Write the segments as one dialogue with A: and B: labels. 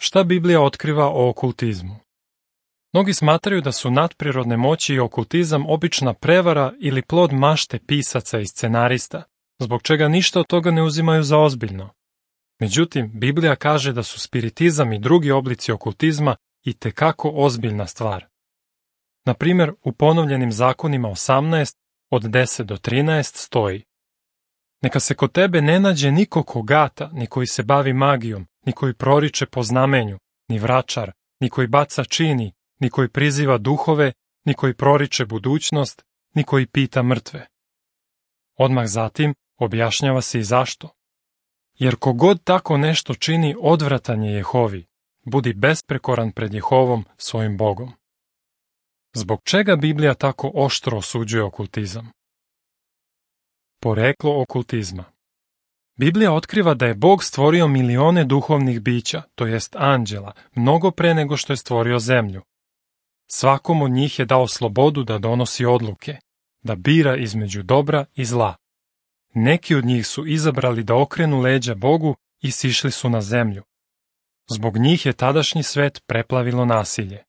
A: Šta Biblija otkriva o okultizmu? Mnogi smatraju da su nadprirodne moći i okultizam obična prevara ili plod mašte pisaca i scenarista, zbog čega ništa od toga ne uzimaju za ozbiljno. Međutim, Biblija kaže da su spiritizam i drugi oblici okultizma itekako ozbiljna stvar. Na primjer, u Ponovljenim zakonima 18, od 10 do 13 stoji: Neka se kod tebe ne nađe niko ko gata, ni koji se bavi magijom, ni koji proriče po znamenju, ni vračar, ni koji baca čini, ni koji priziva duhove, ni koji proriče budućnost, ni koji pita mrtve. Odmah zatim objašnjava se i zašto. Jer kogod tako nešto čini, odvratan je Jehovi, budi besprekoran pred Jehovom, svojim Bogom. Zbog čega Biblija tako oštro osuđuje okultizam? Poreklo okultizma. Biblija otkriva da je Bog stvorio milione duhovnih bića, to jest anđela, mnogo pre nego što je stvorio zemlju. Svakom od njih je dao slobodu da donosi odluke, da bira između dobra i zla. Neki od njih su izabrali da okrenu leđa Bogu i sišli su na zemlju. Zbog njih je tadašnji svet preplavilo nasilje.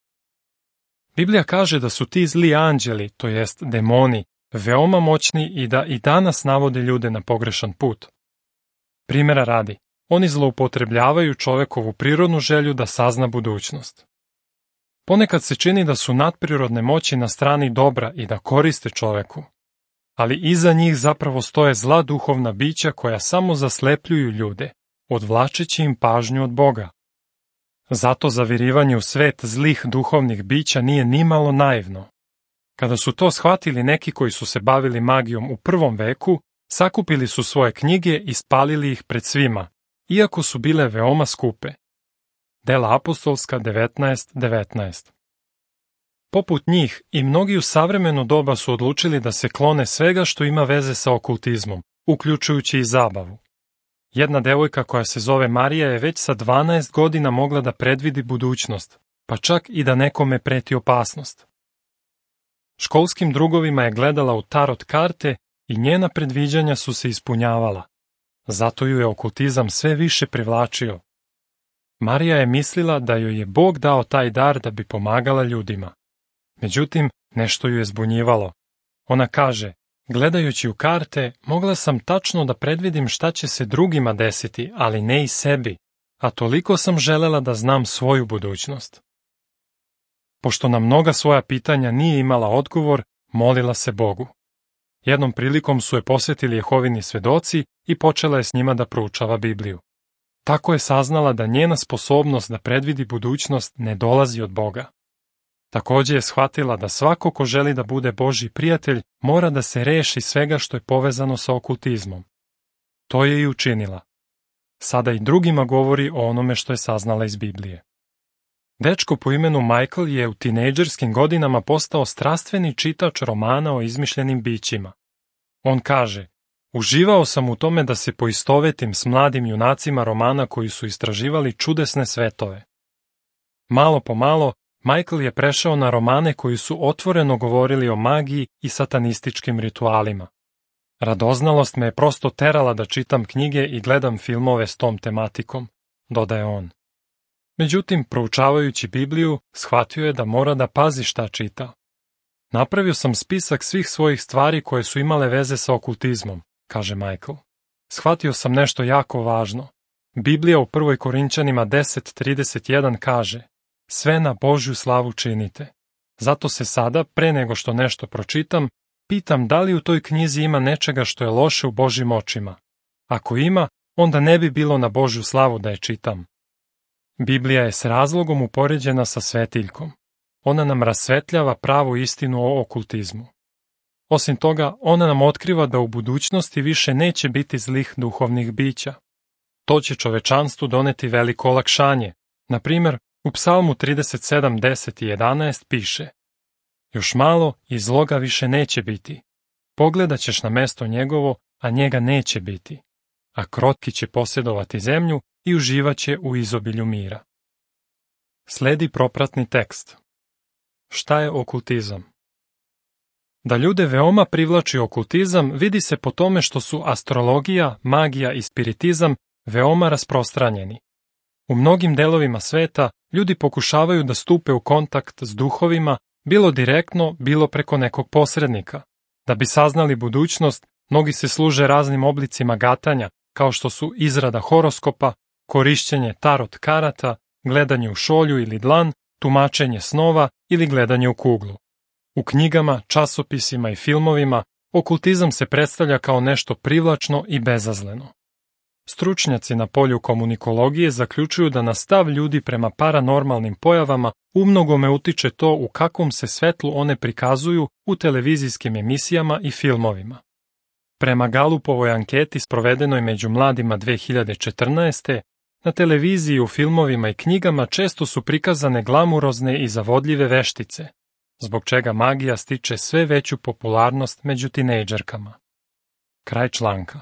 A: Biblija kaže da su ti zli anđeli, to jest demoni, veoma moćni i da i danas navode ljude na pogrešan put. Primjera radi, oni zloupotrebljavaju čovekovu prirodnu želju da sazna budućnost. Ponekad se čini da su nadprirodne moći na strani dobra i da koriste čoveku, ali iza njih zapravo stoje zla duhovna bića koja samo zaslepljuju ljude, odvlačeći im pažnju od Boga. Zato zavirivanje u svet zlih duhovnih bića nije nimalo naivno. Kada su to shvatili neki koji su se bavili magijom u prvom veku, sakupili su svoje knjige i spalili ih pred svima, iako su bile veoma skupe. Dela apostolska 19:19. Poput njih i mnogi u savremeno doba su odlučili da se klone svega što ima veze sa okultizmom, uključujući i zabavu. Jedna devojka koja se zove Marija je već sa 12 godina mogla da predvidi budućnost, pa čak i da nekome preti opasnost. Školskim drugovima je gledala u tarot karte i njena predviđanja su se ispunjavala. Zato ju je okultizam sve više privlačio. Marija je mislila da joj je Bog dao taj dar da bi pomagala ljudima. Međutim, nešto ju je zbunjivalo. Ona kaže: gledajući u karte, mogla sam tačno da predvidim šta će se drugima desiti, ali ne i sebi, a toliko sam želela da znam svoju budućnost. Pošto na mnoga svoja pitanja nije imala odgovor, molila se Bogu. Jednom prilikom su je posvetili Jehovini svedoci i počela je s njima da proučava Bibliju. Tako je saznala da njena sposobnost da predvidi budućnost ne dolazi od Boga. Takođe je shvatila da svako ko želi da bude Božji prijatelj mora da se reši svega što je povezano sa okultizmom. To je i učinila. Sada i drugima govori o onome što je saznala iz Biblije. Dečko po imenu Michael je u tinejdžerskim godinama postao strastveni čitač romana o izmišljenim bićima. On kaže: uživao sam u tome da se poistovetim s mladim junacima romana koji su istraživali čudesne svetove. Malo po malo, Michael je prešao na romane koji su otvoreno govorili o magiji i satanističkim ritualima. Radoznalost me je prosto terala da čitam knjige i gledam filmove s tom tematikom, dodaje on. Međutim, proučavajući Bibliju, shvatio je da mora da pazi šta čita. Napravio sam spisak svih svojih stvari koje su imale veze sa okultizmom, kaže Michael. Shvatio sam nešto jako važno. Biblija u 1. Korinćanima 10:31 kaže: sve na Božju slavu činite. Zato se sada, pre nego što nešto pročitam, pitam da li u toj knjizi ima nečega što je loše u Božjim očima. Ako ima, onda ne bi bilo na Božju slavu da je čitam. Biblija je s razlogom upoređena sa svetiljkom. Ona nam rasvetljava pravu istinu o okultizmu. Osim toga, ona nam otkriva da u budućnosti više neće biti zlih duhovnih bića. To će čovečanstvu doneti veliko olakšanje. Na primjer, u Psalmu 37:10 i 11 piše: još malo i zloga više neće biti. Pogledat ćeš na mesto njegovo, a njega neće biti. A krotki će posjedovati zemlju i uživaće u izobilju mira. Sledi propratni tekst. Šta je okultizam? Da ljude veoma privlači okultizam vidi se po tome što su astrologija, magija i spiritizam veoma rasprostranjeni. U mnogim delovima sveta ljudi pokušavaju da stupe u kontakt s duhovima, bilo direktno, bilo preko nekog posrednika. Da bi saznali budućnost, mnogi se služe raznim oblicima gatanja, kao što su izrada horoskopa, korišćenje tarot karata, gledanje u šolju ili dlan, tumačenje snova ili gledanje u kuglu. U knjigama, časopisima i filmovima okultizam se predstavlja kao nešto privlačno i bezazleno. Stručnjaci na polju komunikologije zaključuju da na stav ljudi prema paranormalnim pojavama umnogome utiče to u kakvom se svetlu one prikazuju u televizijskim emisijama i filmovima. Prema Galupovoj anketi sprovedenoj među mladima 2014. na televiziji, u filmovima i knjigama često su prikazane glamurozne i zavodljive veštice, zbog čega magija stiče sve veću popularnost među tinejdžerkama. Kraj članka.